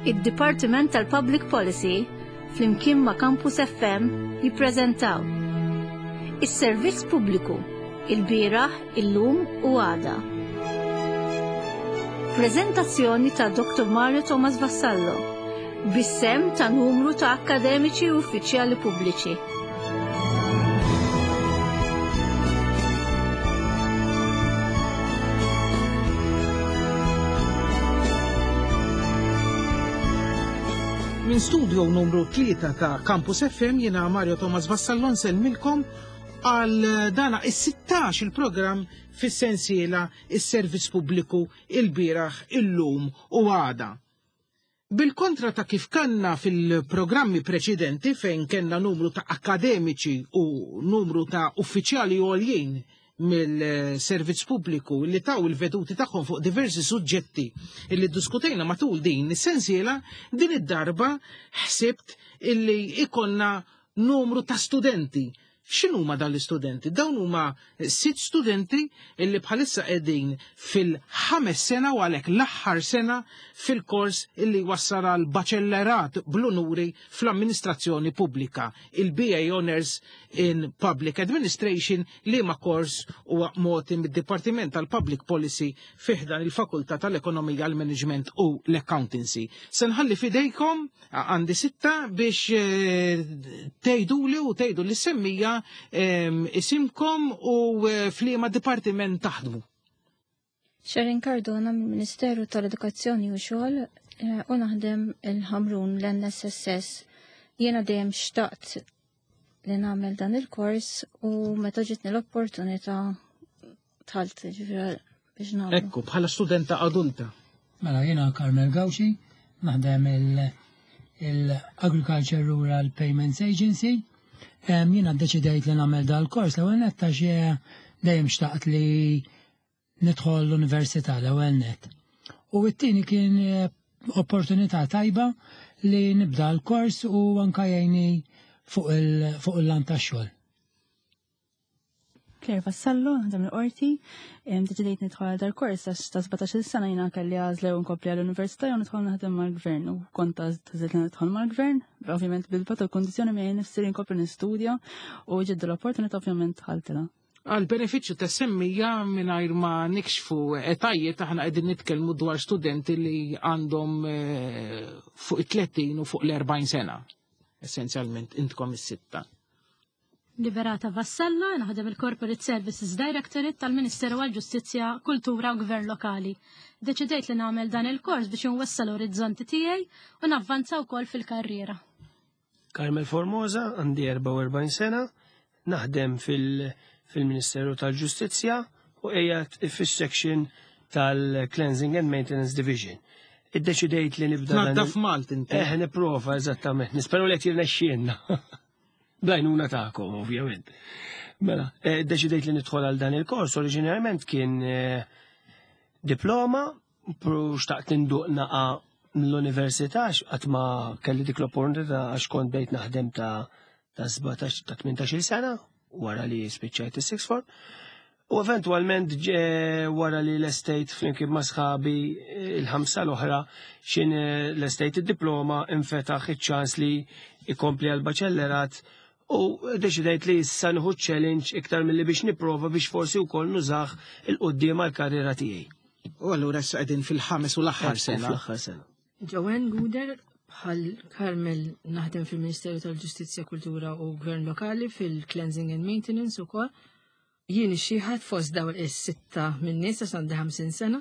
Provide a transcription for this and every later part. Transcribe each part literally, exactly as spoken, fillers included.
Id-Dipartiment tal-Public Policy flimkien ma' Campus F M jippreżentaw Is-Servizz Pubbliku, il-bieraħ, illum u għada. Preżentazzjoni ta' Doctor Mario Thomas Vassallo bis-sehem ta' numru ta' akkademiċi u uffiċjali pubbliċi. Minn studio numru tlieta ta' Campus F M jiena Mario Thomas Vassallo nsellmilkom għal dana is-sittax il-programm fis-sensiela Is-Servizz Pubbliku, il-bieraħ, illum u għada. Bil-kontra ta' kif kanna fil-programmi preċedenti, fejn kellna numru ta' akademiċi u numru ta' uffiċjali għoljin mill-servizz pubbliku li taw il-veduti tagħhom fuq diversi suġġetti illi diskutejna matul din is-sensiela, din id-darba ħsibt illi ikollna numru ta' studenti. X'inhuma dawn l-istudenti? Dawn huma sitt studenti illi bħalissa qegħdin fil-ħames sena u għalhekk l-aħħar sena fil-kors illi wassal għal baċellerat bl-unuri fl-amministrazzjoni pubblika, il-B A Honors in Public Administration, li ma kors huwa mogħti mid-Dipartiment tal-Public Policy fi ħdan il-Fakultà tal-Ekonomija, l-Management u l-Accountancy. Se nħalli fidejkom, għandi sitta biex eh, tgħiduli u tgħidu lis-semmiegħa isimkom u eh, f'liema dipartiment taħdmu. Sharon Cardona mill-Ministeru tal-Edukazzjoni u Xogħol eh, u naħdem il-Ħamrun l-N S S S. Jiena dejjem xtaqt li nagħmel dan il-kors u meta ġitni l-opportunità dħalt, ġifieri biex nagħmlu. Ekku, bħala studenta adulta. Mela jiena Carmel Gauci, naħdem il-Agriculture Rural Payments Agency. Jiena ddeċidejt li nagħmel dal-kors l-ewwel nett għax dejjem xtaqt li nidħol l-università l-ewwel nett. U t-tieni kien eh, opportunità tajba li nibda l-kors u anka jgħinni fuq il-lant tax-xogħol. Claire Vassallo, naħdem il-qorti, deċidejt nidħol għal dal-kors għax ta' sbatax-il sena jiena kelli għażla u nkompli għall-università jew nidħol naħdem mal-gvern u kont għażilt li nidħol mal-gvern, ovvjament bil-pat il-kondizzjoni miegħi nifsi li nkompli nistudja u ġiet l-opportunità, ovvjament dħaltilha. Għal benefiċċju tas-semmiegħa, mingħajr ma nikxfu etajiet, aħna qegħdin nitkellmu dwar studenti li għandhom eh, fuq it-tletin u fuq l-erbgħin sena. Essenzjalment intkom is-sitta. Liberata Vassallo, naħdem il-Corporate Services Directorate tal-Ministeru għal-Ġustizzja, Kultura u Gvern Lokali. Deċidejt li nagħmel dan il-kors biex nwessa' l-orizzonti tiegħi u navvanza wkoll fil-karriera. Carmel Formosa, għandi erbgħa u erbgħin sena, naħdem fil-Ministeru tal-Ġustizzja u qiegħed fis-section tal-Cleansing and Maintenance Division. Iddeċidejt li nibda. Naddaf Malta inti. Eh, nipprova, eżattament. Nisperu li qed jirnexxielna. Bl-għajnuna tagħkom, ovvjament. Mela, eh, deċidejt li nidħol għal dan il-kors, oriġinarjament kien eh, diploma, pru xtaqt induq naqa l-università, qatt ma kelli dik l-opportunità għax kont bdejt naħdem ta' ta' sbatax ta' tmintax-il sena wara li spiċċajt is-sixth form. U eventualment wara li lestejt flimkien ma' sħabi il-ħamsa l-oħra xin eh, lestejt id-diploma, infetaħ iċ-ċans li ikompli għal-baċellerat u deċidejt li issa nieħu challenge iktar milli biex nipprova biex forsi wkoll nużah 'il quddiem għall-karriera tiegħi. U allura issa qegħdin fil-ħames u l-aħħar sena. Fl-aħħar sena. Joanne Guder, bħal Carmel naħdem fil-Ministeru tal-Ġustizzja, Kultura u Gvern Lokali fil-Cleansing and Maintenance ukoll. Jien ix-xiħa fost dawn is-sitta minn nies għax għandi ħamsin sena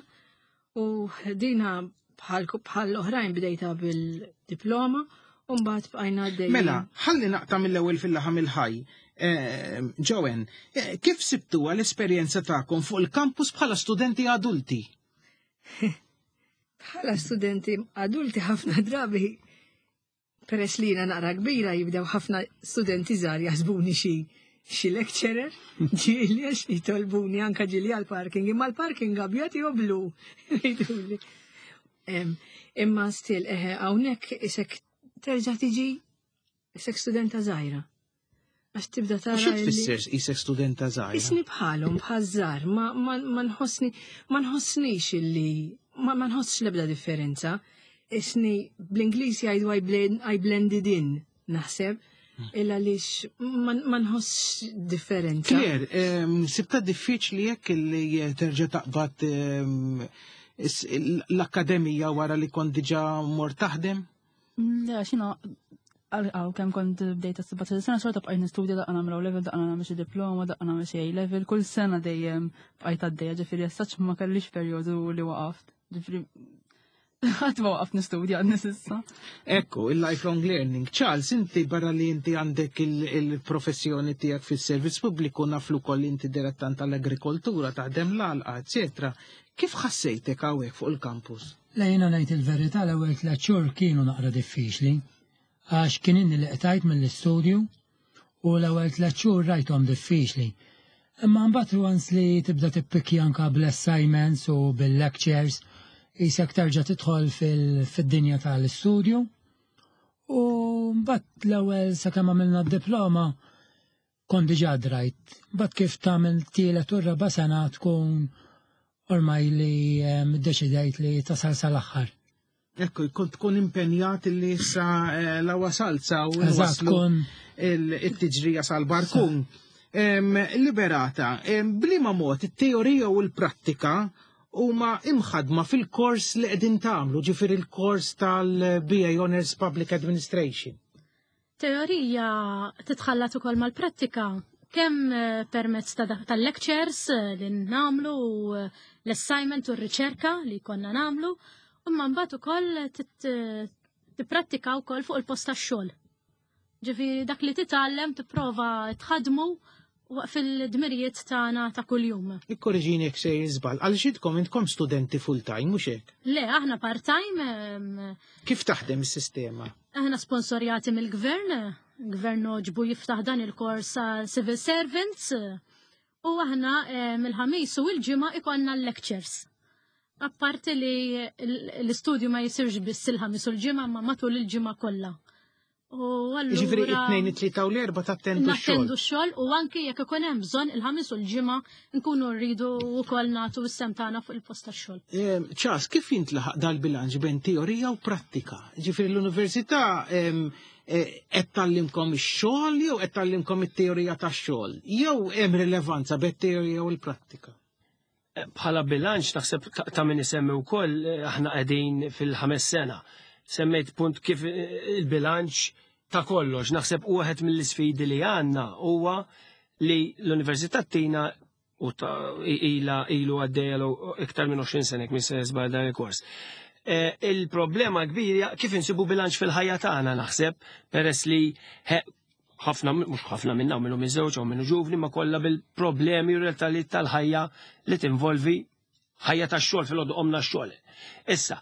u dina bħal bħal oħrajn bdejta bil-diploma u mbagħad bqajna għaddejjin. Mela, ħalli naqta' mill-ewwel fil-laħam il-ħaj. Eh, Joanne, eh, kif sibtuha l-esperjenza tagħkom fuq il-kampus bħala studenti adulti? Bħala studenti adulti, ħafna drabi, peress li jiena naqra kbira, jibdew ħafna studenti żgħar jaħsbuni xi xi lecturer, ġieli għax jitolbuni anka ġieli għal-parking, imma l-parking abjad jew blu. Jgħiduli. Em, Imma still, eħe, hawnhekk isek terġa' tiġi isek studenta żgħira. Għax tibda U tara. xi illi- tfisser isek studenta żgħira? Isni bħalhom, bħaż-żgħar, ma, ma, ma nħossni, ma nħossnix illi, ma, ma nħossx l-ebda differenza. Isni bl-Ingliż jgħidu I blend- I blended in, naħseb, illa għaliex ma nħoss differenza. Claire, em, sibta diffiċli jekk li terġa' taqbad em, is- l-akkademija wara li kont diġà mor taħdem? Le, xina, għal kemm kont bdejta s-sittax sena xorta bqajt nistudja, daqqa nagħmel level, daqqa nagħmel xi diploma, daqqa nagħmel xi level, kull sena dejjem bqajt għaddejja, ġifieri essaċ ma kellix perjodu li waqaft. Ġifieri ħadd ma waqaft nistudja għadni s'issa. Ekku, il-lifelong learning. Charles, inti barra li inti għandek il- il-professjoni tiegħek fis-servizz pubbliku, naflu koll inti direttant tal-agrikoltura, taħdem l-għalqa, eccetera. Kif ħassejtek hawnhekk fuq il-campus? Le, jiena ngħid il-verità, l-ewwel tliet xhur kienu naqra diffiċli għax kien inni li qtajt mill-istudju u l-ewwel tliet xhur rajthom diffiċli. Imma mbagħad once li tibda tippikkja anka bl-assignments u bil-lectures, qisek terġa' tidħol fil-dinja tal-istudju. U mbagħad l-ewwel sakemm għamilna d-diploma kont diġà drajt. Mbagħad kif tagħmel tielet u raba' sena tkun ormai li em, iddeċidejt li tasal sal-aħħar. Ekku, kont tkun impenjat li issa eh, la wasalza u Eżatt, waslu kun il-tiġrija sal-barkun. Em, Liberata, em, bliema mod it-teorija u l-prattika huma imħadma fil-kors li qegħdin tagħmlu, ġifieri il-kors tal-B A Honors Public Administration? Teorija titħallat ukoll mal-prattika kemm eh, permezz ta' dak- tal-lectures eh, li nagħmlu u eh, l-assignment u r-riċerka li konna nagħmlu, imma mbagħad ukoll tit- tipprattika wkoll fuq il-post tax-xogħol. Ġifieri dak li titgħallem tipprova tħadmu fil-dmirijiet tagħna ta' kuljum. Ikkorreġini jekk sejjer żball, għaliex intkom intkom studenti full-time, mhux hekk? Le, aħna part-time, em, Kif taħdem is-sistema? Aħna sponsorjati mill-gvern, gvern għoġbu jiftaħ dan il-kors għal civil servants, u aħna eh, mill-Ħamis u l-Ġimgħa ikollna l-lectures. Apparti li l-istudju ma jisirx biss il-Ħamis u l-Ġimgħa, ma matul il-ġimgħa kollha. U Ġifieri allura it-tnejn, it-tlieta u l-erba' tattendu x-xogħol. Nattendu x-xogħol u anki jekk ikun hemm bżonn il-Ħamis u l-Ġimgħa nkunu rridu wkoll nagħtu s-sehem tagħna fuq il-post tax-xogħol. Em, Charles, kif jintlaħaq dal-bilanċ bejn teorija u prattika? Ġifieri l-università em, eh, qed tgħallimkom ix-xogħol jew qed tgħallimkom it-teorija tax-xogħol? Jew hemm rilevanza bejn teorija u l-prattika? Bħala bilanċ naħseb ta- ta' min isemmi wkoll eh, aħna qegħdin fil-ħames sena. Semmejt punt kif eh, il-bilanċ ta' kollox. Naħseb wieħed mill-isfidi li għandna huwa li l-Università tina u ta' ila ilu għaddejja iktar minn għoxrin sena minn se żball dan il-kors. Eh, Il-problema kbira kif insibu bilanċ fil-ħajja tagħna, naħseb, peress li he- ħafna, mhux ħafna minna minnu miżewġ u minnu ġuvni, ma kollha bil-problemi u realtajiet tal-ħajja li tinvolvi ħajja tax-xogħol, fil-għodu qomna x-xogħol. Issa,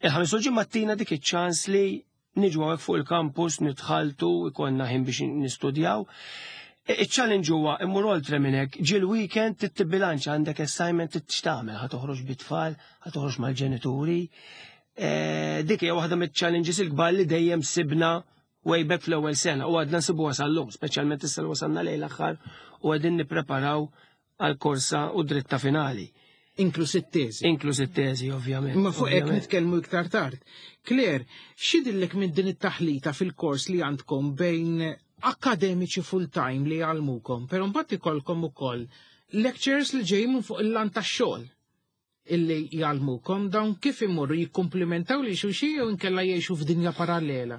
il-Ħamis u Ġimgħa tina dik iċ-ċans li niġu hawnhekk fuq il-campus, nitħaltu, ikollna ħin biex nistudjaw. Il-challenge huwa immur oltre minn hekk, ġi l-weekend titbilanċ, għandek assignment tixtamel, ħa toħroġ bit-tfal, ħa toħroġ mal-ġenituri. Eh, Dik hija waħda mill-challenges il-kbar li dejjem sibna way back fl-ewwel sena u għadna nsibuha sal-lum, speċjalment issa li wasalna lejn l-aħħar u qegħdin nippreparaw għal korsa u dritta finali. Inkluż it-teżi. Inkluż it-teżi, ovvjament. Ma fuq hekk ovvjament. nitkellmu iktar tard. Claire, x'jidhirlek minn din it-taħlita fil-kors li għandkom bejn akademiċi full-time li jgħallmukom, però mbagħad ikollkom ukoll lectures li ġejjin minn fuq il-lan tax-xogħol illi jgħallmukom, dawn kif imorru, jikkumplimentaw lil xulxin jew inkella jgħixu f'dinja parallela?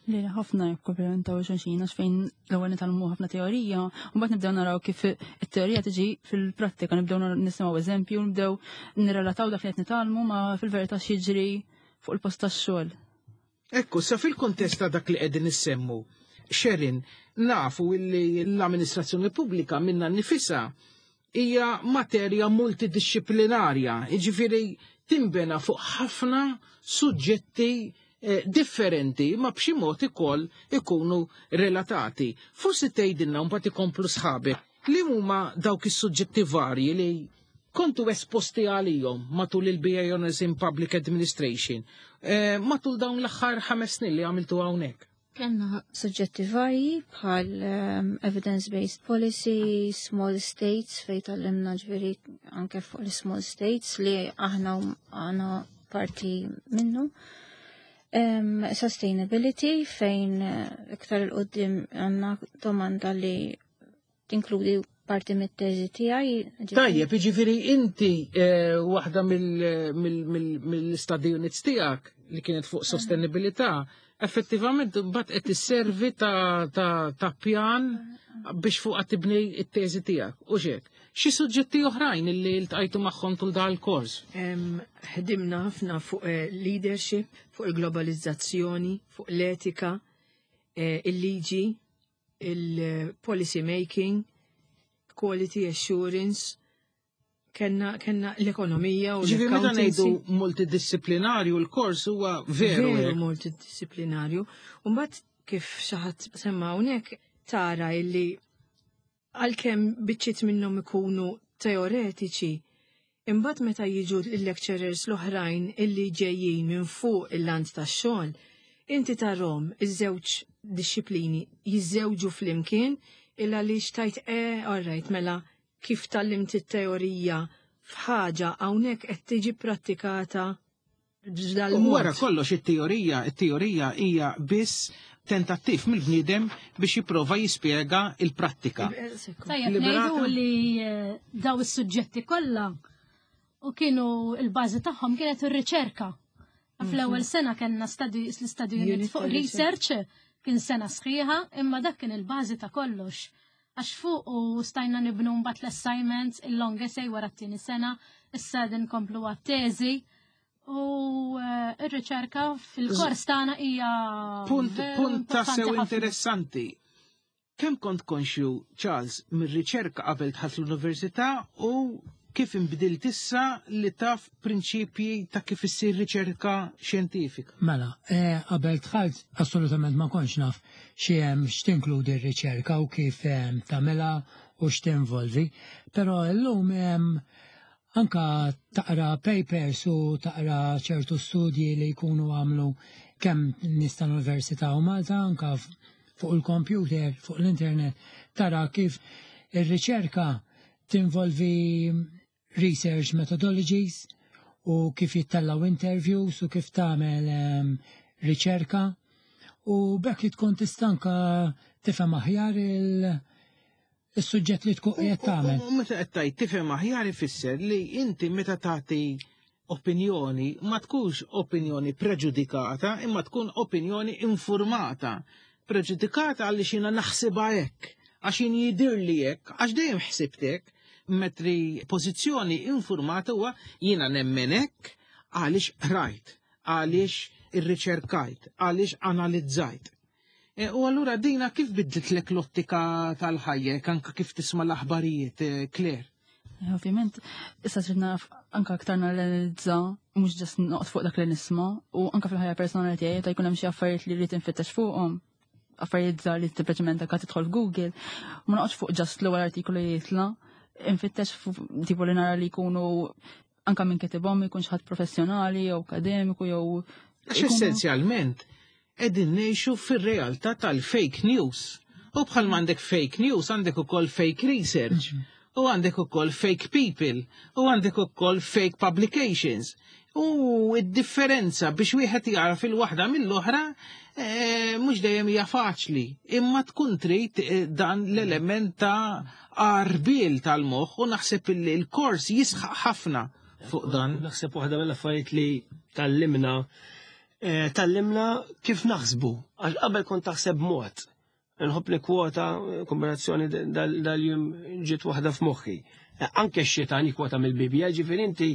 Li ħafna jikkomplementaw xulxin, għax fejn l-ewwel nitgħallmu ħafna teorija, u mbagħad nibdew naraw kif it-teorija tiġi fil-prattika, nibdew nisimgħu eżempju, nibdew nirrelataw dak li qed nitgħallmu ma fil-verità x'jiġri fuq il-post tax-xogħol. Ekku, sa fil-kontest ta' dak li qegħdin issemmu, Sherin, nafu illi l-amministrazzjoni pubblika minna nifisa hija materja multidisciplinarja, jiġifieri timbena fuq ħafna suġġetti eh, differenti ma b'xi mod ukoll ikunu relatati. Forsi tgħidilna, mbagħad ikomplu sħabek, li huma dawk is-suġġetti varji li kontu esposti għalihom matul il-B A Honors in Public Administration eh, matul dawn l-aħħar ħames snin li għamiltu hawnhekk. Kellna suġġetti varji bħal um, evidence-based policy, small states, fejn tgħallimna ġifieri anke fuq l-small states li aħna għana parti minnu. Um, sustainability fejn eh, iktar 'il quddiem għandna domanda li tinkludi parti mit-teżi tiegħi. Tajjeb, jiġifieri inti eh, waħda mill-study units tiegħek li kienet fuq sostenibilità, effettivament mbagħad qed tisservi ta' ta' ta' pjan biex fuqha tibni t-teżi tiegħek. U xek. Xi suġġetti oħrajn illi ltqajtu magħhom tul dan il-kors? Em, Ħdimna ħafna fuq eh, leadership, fuq il-globalizzazzjoni, fuq l-etika, eh, il-liġi, il-policy making, quality assurance, kellna, kellna l-ekonomija u Ġifieri meta ngħidu l-accountancy. multidisciplinarju l-kors huwa veru. Veru hekk. multidisciplinarju. Umbat kif xi ħadd semma hawnhekk tara illi għalkemm biċċiet minnhom ikunu teoretiċi, imbagħad meta jiġu il-lecturers l-oħrajn illi ġejjin minn fuq il-lant tax-xogħol, inti tarahom iż-żewġ dixxiplini jiżżewġu flimkien illa li xtajt e, all right, mela kif tgħallimt it-teorija f'ħaġa hawnhekk qed tiġi prattikata U wara kollox it-teorija, it-teorija hija biss tentattiv mill-bniedem biex jipprova jispjega il-prattika. Tajjeb Liberata? ngħidu li eh, daw is-suġġetti kollha u kienu il-bażi tagħhom kienet ir-riċerka. Fl-ewwel sena kellna study l-study unit Unit fuq ta' research kien sena sħiħa, imma dak kien il-bażi ta' kollox. Għax fuq u stajna nibnu mbagħad l-assignments, il-long essay wara t-tieni sena, issa din komplu għat-teżi. U eh, ir-riċerka fil-kors tagħna hija Punt, veru punt importanti tassew ħafna. interessanti. Kemm kont konxju, Charles, mir-riċerka qabel dħalt l-università u kif inbdilt issa li taf prinċipji ta' kif issir riċerka xjentifika? Mela, eh, qabel dħalt assolutament ma kontx naf x'hemm x'tinkludi r-riċerka u kif em, tagħmilha u x'tinvolvi, però llum em, anka taqra papers u taqra ċertu studji li jkunu għamlu kemm nies tal-Università u Malta anka f- fuq il-computer, fuq l-internet, tara kif ir-riċerka tinvolvi research methodologies u kif jittallaw interviews u kif tagħmel em, riċerka u bekk li tkun tista' anka tifhem aħjar il- il-suġġett li tkun qiegħed tagħmel. U meta qed tgħid tifhem aħjar ifisser li inti meta tagħti opinjoni ma tkunx opinjoni preġudikata imma tkun opinjoni informata. Preġudikata għaliex jiena naħsibha hekk, għax jien jidirli hekk, għax dejjem ħsibt hekk, mentri pożizzjoni informata huwa jiena nemmen hekk għaliex rajt, għaliex irriċerkajt, għaliex analizzajt. E, U allura dina kif bidlitlek l-ottika tal-ħajja, anka kif tisma' l-aħbarijiet, eh, Claire? Eh, Ovvjament, issa trid naf anka aktar nanalizza, mhux just noqgħod fuq dak li nisma' u anka fil-ħajja personali tiegħi ta' jkun hemm xi affarijiet li rrid infittex fuqhom. Affarijiet żgħar li sempliċement anka tidħol f'Google, ma noqgħodx fuq just l-ewwel artiklu li jitla', infittex fuq tipo li nara li jkunu anka minn kitibhom jkun xi ħadd professjonali jew akademiku jew Għax essenzjalment qegħdin ngħixu fir-realtà tal-fake news. U bħal għandek fake news, għandek ukoll fake research, u għandek ukoll fake people, u għandek ukoll fake publications. U id-differenza biex wieħed jaraf il-waħda mill-oħra eh, mhux dejjem hija faċli, imma tkun trid eh, dan l-element ta' għarbiel tal-moħħ u naħseb li l-kors jisħaq ħafna fuq dan. Naħseb waħda mill-affarijiet li tgħallimna eh, tgħallimna kif naħsbu. Għax qabel kont taħseb mod. Nħobb nikkwota kombinazzjoni dal-jum ġiet waħda f'moħħi. Eh, Anke x-xitan jikkwota mill-Bibja, ġifieri inti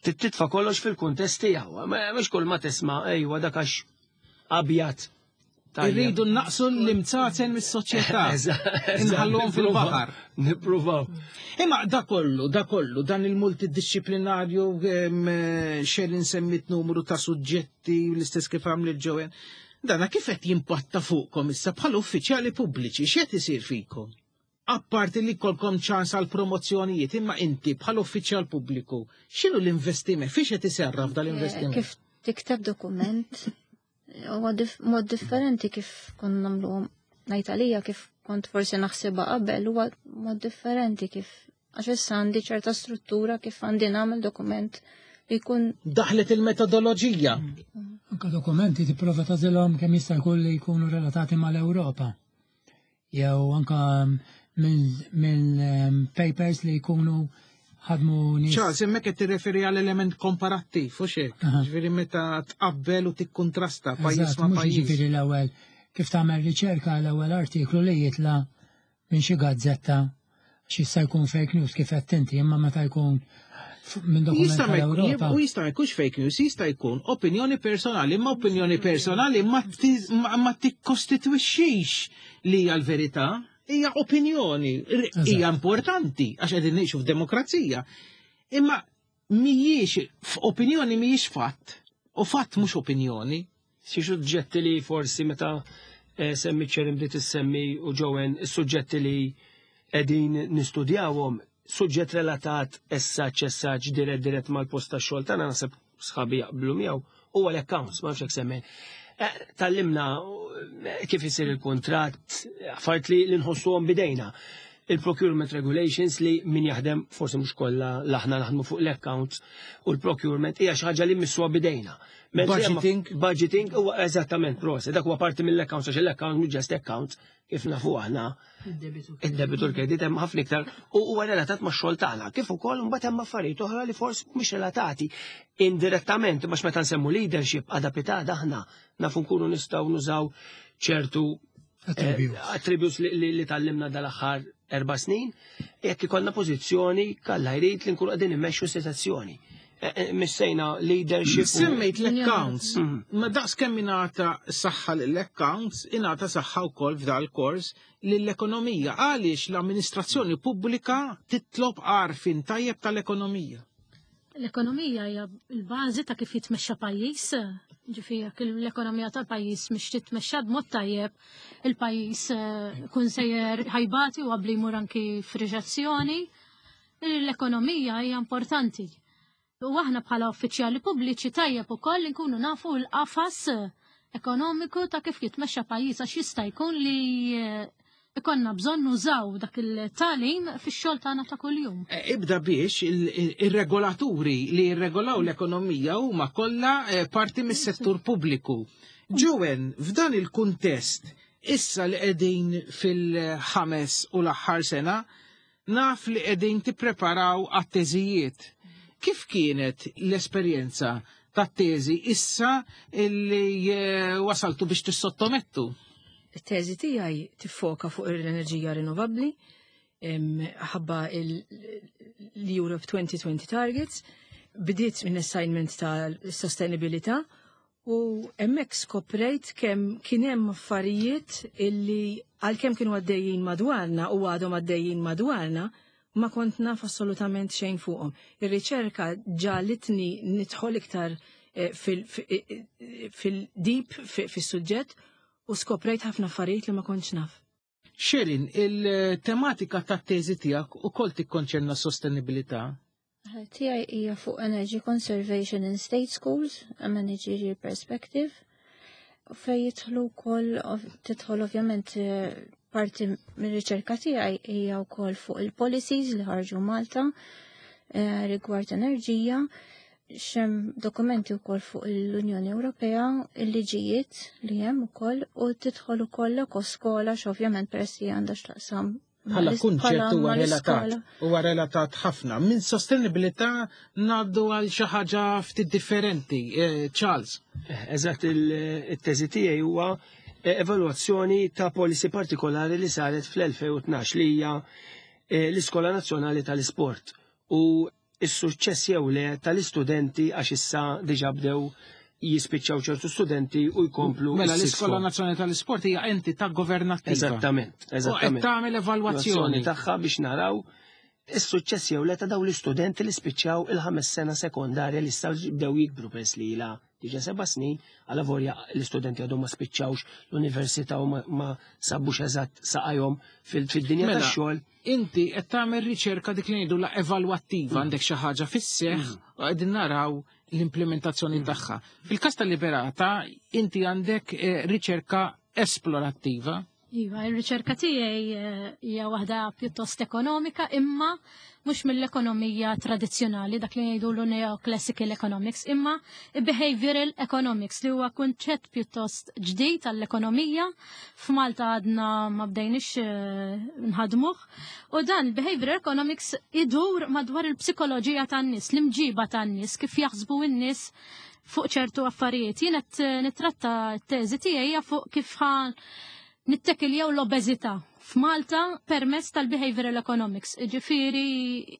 titfa' kollox fil-kuntest tiegħu. Ma- Mhux kull ma tisma' ejwa dak għax abjad. Tajjeb. Irridu naqsu l-imzazen mis-soċjetà. Inħalluhom fil-baħar. Nippruvaw. Imma da kollu, da kollu, dan il-multidisciplinarju em, eh, Sharon semmit numru ta' suġġetti l-istess kif għamlet Joanne. Dana kif qed jimpatta fuqkom issa bħala uffiċjali pubbliċi, x'qed isir fikom? Apparti li jkollkom ċans għal promozzjonijiet, imma inti bħala uffiċjal pubbliku, x'inhu l-investiment? Fiex qed iserraf dal-investiment? Kif tikteb dokument, huwa dif mod differenti kif konna nagħmluhom ngħid għalija kif kont forsi naħsibha qabel huwa mod differenti kif għax issa għandi ċerta struttura kif għandi nagħmel dokument Jkun Daħlet il-metodoloġija. Anka dokumenti tipprova tagħżilhom kemm jista' jkun li jkunu relatati mal-Ewropa. Jew anka minn minn ehm, papers li jkunu ħadmu nies. Charles, hemmhekk qed tirreferi għal element komparattiv, u hekk. Aha. Ġifieri meta tqabbel u tikkuntrasta pajjiż Eżatt, ma' mhux pajjiż. jiġifieri l-ewwel kif tagħmel riċerka, l-ewwel artiklu li jitla minn xi gazzetta xi jista' jkun fake news kif qed inti, imma meta jkun f- minn dokument Jista' ma jkun- tal-Ewropa. u jista' ma jkunx fake news, jista' jkun opinjoni personali, ma opinjoni personali ma ti- ma ma tikkostitwixxix li hija l-verità, hija opinjoni, r- Eżatt. hija importanti għax qegħdin ngħixu f'demokrazija. Imma mhijiex f'opinjoni mhijiex fatt, u fatt mhux opinjoni. Xi suġġetti li forsi meta eh, semmi Sharon, bdiet issemmi u Joanne, is-suġġetti li qegħdin nistudjawhom, suġġett relatat essaċ essaċ dirett dirett mal-post tax-xogħol tagħna, naħseb sħabi jaqblu miegħu, huwa l-accounts, ma nafx hekk semmi. Eh, Tgħallimna eh, kif isir il-kontratt, affarijiet li li nħossuhom bidejna. Il-procurement regulations li min jaħdem, forsi mhux kollha aħna naħdmu fuq l-accounts, u l-procurement hija xi ħaġa li missuha bidejna. Mentri hemm- Budgeting. Budgeting huwa eżattament, proset, dak huwa parti mill-accounts, għax l-accounts mhux just accounts, kif nafu aħna Id-debitu. id-debitu, l-kredit, hemm ħafna iktar u huwa relatat max-xogħol tagħna. Kif ukoll mbagħad hemm affarijiet oħra li forsi mhux relatati indirettament, għax meta nsemmu leadership għada pitada aħna nafu nkunu nistgħu nużaw ċertu Attributes. eh, attributes li, li, li tgħallimna dal-aħħar erba' snin, jekk ikollna pożizzjoni kalla jrid li nkunu qegħdin immexxu sitwazzjoni. Eh, eh, Missejna leadership. u- Semmejt l-accounts. Mm. Ma daqs kemm ingħata saħħa l-accounts, ingħata saħħa wkoll f'dal kors lill-ekonomija. Għaliex l-amministrazzjoni pubblika titlob għarfien tajjeb tal-ekonomija? L-ekonomija hija l-bażi ta' kif jitmexxa pajjiż. Ġifieri jekk l-ekonomija tal-pajjiż mhix titmexxa b'mod tajjeb, il-pajjiż eh, kun sejjer ħa jbati u qabli jmur anki f'riċessjoni. L-ekonomija hija importanti. U aħna bħala uffiċjali pubbliċi tajjeb ukoll nkunu nafu l-qafas ekonomiku ta' kif jitmexxa pajjiż, għax jista' jkun li eh, ikonna bżonn nużaw dak il-tagħlim fix-xogħol tagħna ta' kuljum. Eh, Ibda biex il- il- ir-regolaturi li jirregolaw l-ekonomija huma kollha eh, parti mis-settur pubbliku. Joanne, f'dan il-kuntest, issa li qegħdin fil-ħames u l-aħħar sena, naf li qegħdin tippreparaw għat-teżijiet. Kif kienet l-esperjenza tat-teżi issa illi eh, wasaltu biex tissottomettu? Il-teżi tiegħi tiffoka fuq l-enerġija rinnovabbli, em, ħabba l-Europe twenty twenty targets, bdiet minn assignment ta' sostenibilità u hemmhekk skoprejt kemm kien hemm affarijiet illi għalkemm kienu għaddejjin madwarna u għadhom għaddejjin madwarna, ma kont naf assolutament xejn fuqhom. Ir-riċerka ġagħlitni nidħol iktar eh, fil- fi- fil-deep fis-suġġett u skoprejt ħafna affarijiet li ma kontx naf. Sharon, il-tematika tat-teżi tiegħek ukoll tikkonċerna sostenibilità. Tiegħi hija fuq Energy Conservation in State Schools, a Managerial Perspective, fej jidħlu wkoll tidħol ovvjament eh, parti mir-riċerka tiegħi hija wkoll fuq il-policies li ħarġu Malta eh, rigward enerġija, hemm dokumenti wkoll fuq l-Unjoni Ewropea, il-liġijiet li hemm ukoll, u tidħol ukoll l-skola x'ovvjament peress li għandha x'taqsam Bħala mal- kunċett bħala huwa relatat, mal-iskola. huwa relatat ħafna. Minn sostenibilità ngħaddu għal xi ħaġa ftit differenti. Eh, Charles. Eżatt, il-teżi tiegħi huwa eh, evalwazzjoni ta' policy partikolari li saret fl-elfejn u tnax, li hija eh, l-Iskola Nazzjonali tal-Isport u s-suċċess jew le tal-istudenti, għax issa diġà bdew jispiċċaw ċertu studenti u jkomplu Mela s-sixth l-Iskola form. Nazzjonali tal-Isport hija entità governattiva. Eżattament, U qed eżattament. tagħmel evalwazzjoni. Tagħha biex naraw is-suċċess jew le ta' dawn l-istudenti li spiċċaw il-ħames sena sekondarja, li issa bdew jikbru peress li ilha diġà seba' snin, għalavolja l-istudenti għadhom ma spiċċawx l-università u ma, ma sabux eżatt saqajhom fil-dinja Mela, tax-xogħol. inti qed tagħmel riċerka dik li ngħidu la evalwattiva, għandek xi ħaġa fis-seħħ u qegħdin naraw l-implementazzjoni tagħha. Fil-każ tal-Liberata inti għandek eh, riċerka esplorattiva. Iva, il-riċerka tiegħi eh, hija waħda pjuttost ekonomika, imma mhux mill-ekonomija tradizzjonali, dak li jgħidulu neoclassical economics, imma behavioral economics li huwa kunċett pjuttost ġdid għall-ekonomija. F'Malta għadna ma bdejniex eh, nħadmuh. U dan il-behavioral economics idur madwar il-psikoloġija tan-nies, l-imġiba tan-nies, kif jaħsbu n-nies fuq ċertu affarijiet. Jien qed nittratta t-teżi tiegħi fuq kif ħa nittekiljaw l-obeżità f'Malta permezz tal-behavioral economics. Ġifieri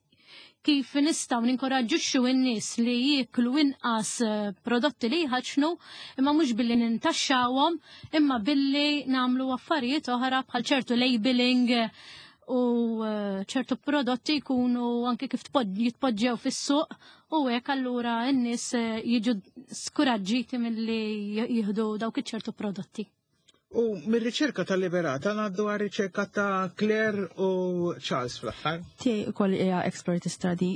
kif nistgħu ninkoraġġixxu n-nies li jieklu inqas eh, prodotti li jħaċnu, imma mhux billi nintaxxawhom, imma billi nagħmlu affarijiet oħra bħal ċertu labeling u eh, ċertu prodotti jkunu anke kif jitpoġġew fis-suq u hekk allura n-nies eh, jiġu skuraġġiti milli jieħdu dawk iċ-ċertu prodotti. U mir-riċerka ta' Liberata ngħaddu għar riċerka ta' Claire u Charles fl-aħħar. Tiegħi ukoll hija expert study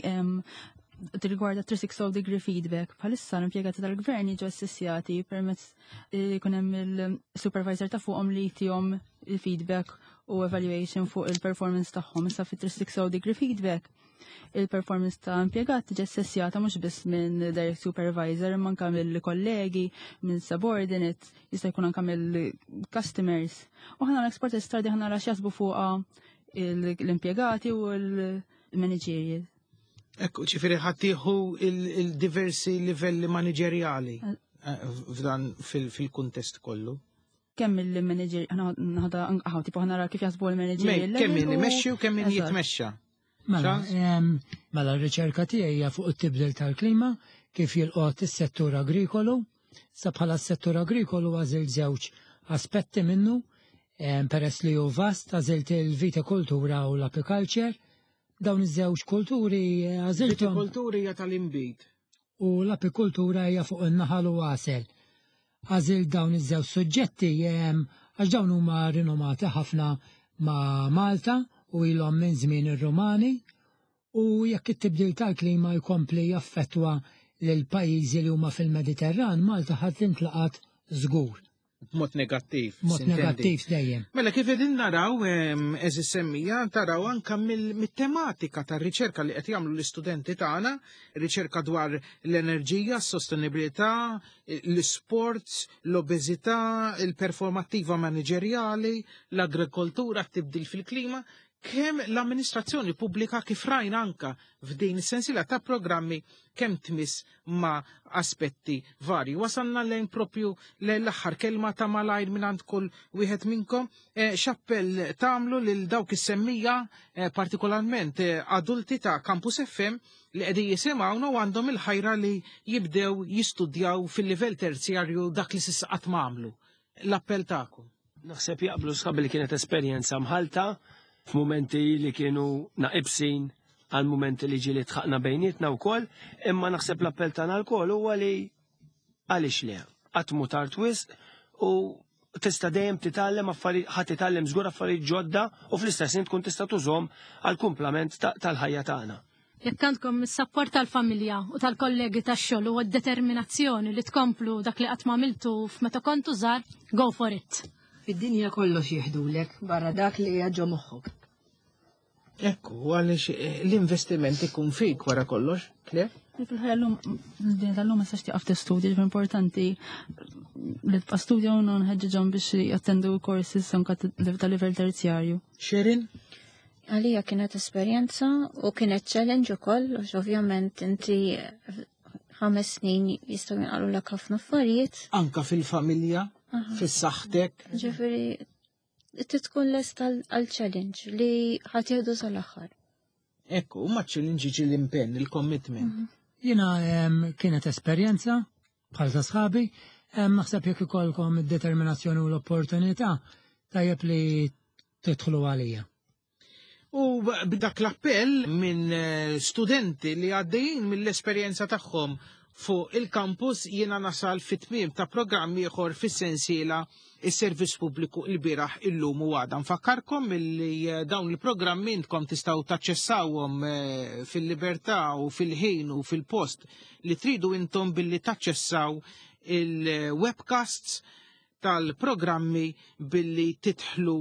rigwarda three sixty degree feedback. Bħalissa l-impjegati tal-gvern jiġu assessjati permezz jkun hemm il-supervisor ta' fuqhom li jtihom il-feedback u evaluation fuq il-performance tagħhom. Issa fi three sixty degree feedback il-performance ta' impjegat tiġi assessjata mhux biss minn direct supervisor imma anke mill-kollegi, minn subordinates, jista' jkun anke mill-customers. U ħa l-expert study ħa nara x'jaħsbu fuqha l-impjegati u l-managerial. Ekku, ġifieri ħa tieħu il-diversi livelli manageriali eh, f'dan fil-kuntest kollu. Kemm il-manager, ħada, tipo ħa nara kif jaħsbu l-manager. Kemm min imexxi u kemm min jitmexxa. Mela, mela r-riċerka tiegħi hija fuq it-tibdil tal-klima kif jilqot is-settur agrikolu. Sa bħala s-settur agrikolu għażilt żewġ aspetti minnu, peress li hu vast, għażilt il-vitikultura u l-apiculture. Dawn iż-żewġ kulturi għażilthom. Vitikultura hija tal-inbid. U l-apikultura hija fuq in-naħal u għasel. Għażilt dawn iż-żewġ suġġetti għax dawn huma rinomati ħafna ma' Malta u ilhom minn żmien ir-Rumani, u jekk it-tibdil tal-klima jkompli jaffettwa lil pajjiżi li huma fil-Mediterran, Malta ħa tintlaqat żgur. B'mod negattiv. Mod negattiv dejjem. Mela kif qegħdin naraw, għeżież semmiegħa, taraw anka mit-tematika tar-riċerka li qed jagħmlu l-istudenti tagħna, riċerka dwar l-enerġija, s-sostenibilità, l-sports, l-obeżità, il-performattiva maniġerjali, l-agrikoltura, t-tibdil fil-klima, kemm l-amministrazzjoni pubblika, kif rajna anka f'din is-sensiela ta' programmi, kemm tmiss ma' aspetti varji. Wasalna lejn propju l-aħħar kelma ta' malajr minn għand kull wieħed minnkom. Eh, x'appell tagħmlu lil dawk is-semmiegħa, eh, partikolarment eh, adulti ta' Campus F M li qegħdin jisimgħuna u għandhom il-ħajra li jibdew jistudjaw fil-livell terzjarju dak li s'issa qatt ma għamlu? L-appell tagħkom. Naħseb jaqblu sħabi li kienet esperjenza mħalta, f'mumenti li kienu naqibsin għal mumenti li ġieli dħakna bejnietna wkoll, imma naħseb l-appell tagħna lkoll huwa li għaliex le, qatt mhu tard wisq u tista' dejjem titgħallem affarijiet, ħa titgħallem żgur affarijiet ġodda u fl-istess ħin tkun tista' tużhom għal kumplament tal-ħajja tagħna. Jekk għandkom is-sapport tal-familja u tal-kollegi tax-xogħol u d-determinazzjoni li tkomplu dak li qatt m'għamiltu f'meta kontu żgħar, go for it. Fid-dinja kollox jiħdulek barra dak li ġo moħħok. Ekku, għaliex eh, l-investiment ikun fik wara kollox, Claire? Fil-ħajja l-lum, din tal-lum ma tistax tieqaf tistudja, ġifieri importanti li tibqa' studja u nħeġġeġhom biex jattendu courses anka ta' livell terzjarju. Sherin? Għalija kienet esperjenza u kienet challenge ukoll, għax ovvjament inti ħames snin jistgħu jinqalgħulek ħafna affarijiet. Anka fil-familja, fis-saħħtek. Ġifieri tkun lest għal challenge li ħa tieħdu sal-aħħar. Ekku, ma challenge ġi l-impenn, il-commitment. Mhm. Jiena kienet esperjenza bħal ta' sħabi, naħseb jekk ikollkom id-determinazzjoni u l-opportunità, tajjeb li tidħlu għalija. U b'dak l-appell minn eh, studenti li għaddejjin mill-esperjenza tagħhom fuq il-campus jiena nasal fit-tmiem ta' programm ieħor fis-sensiela Is-Servizz Pubbliku, il-bieraħ, illum u għada. Nfakkarkom illi eh, dawn il-programmi intkom tistgħu taċċessawhom eh, fil-libertà u fil-ħin u fil-post li tridu intom billi taċċessaw il-webcasts tal-programmi billi tidħlu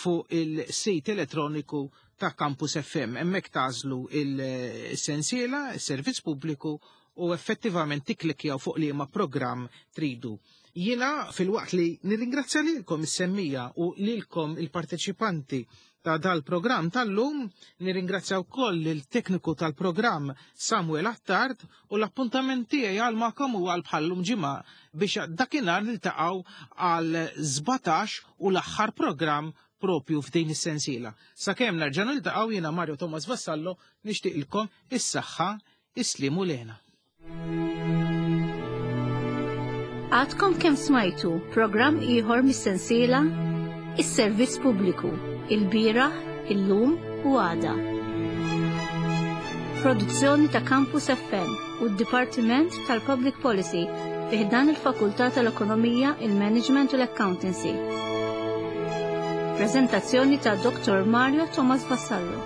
fuq il-sit elettroniku ta' Campus F M. Hemmhekk tagħżlu il-sensiela, il-servizz pubbliku, u effettivament tikklikkjaw fuq liema programm tridu. Jiena, filwaqt li nirringrazzja lilkom is-semmiegħa u lilkom il-parteċipanti ta' dal-programm tal-lum, nirringrazzja wkoll il-tekniku tal-programm Samuel Attard, u l-appuntament tiegħi għal magħkom u għal bħallum ġimgħa biex dakinhar niltaqgħu għal sbatax u l-aħħar programm propju f'din is-sensiela. Sakemm nerġa' niltaqgħu, jiena Mario Thomas Vassallo nixtieqilkom is-saħħa, is-sliem u l-hena. Għadkom kemm smajtu programm ieħor mis-sensiela Is-Servizz Pubbliku, il-bieraħ, illum u għada. Produzzjoni ta' Campus F M u d-Dipartiment tal-Public Policy fi ħdan il-Fakultà tal-Ekonomija, il-Management u l-Accountancy. Prezentazzjoni ta' Dottor Mario Thomas Vassallo.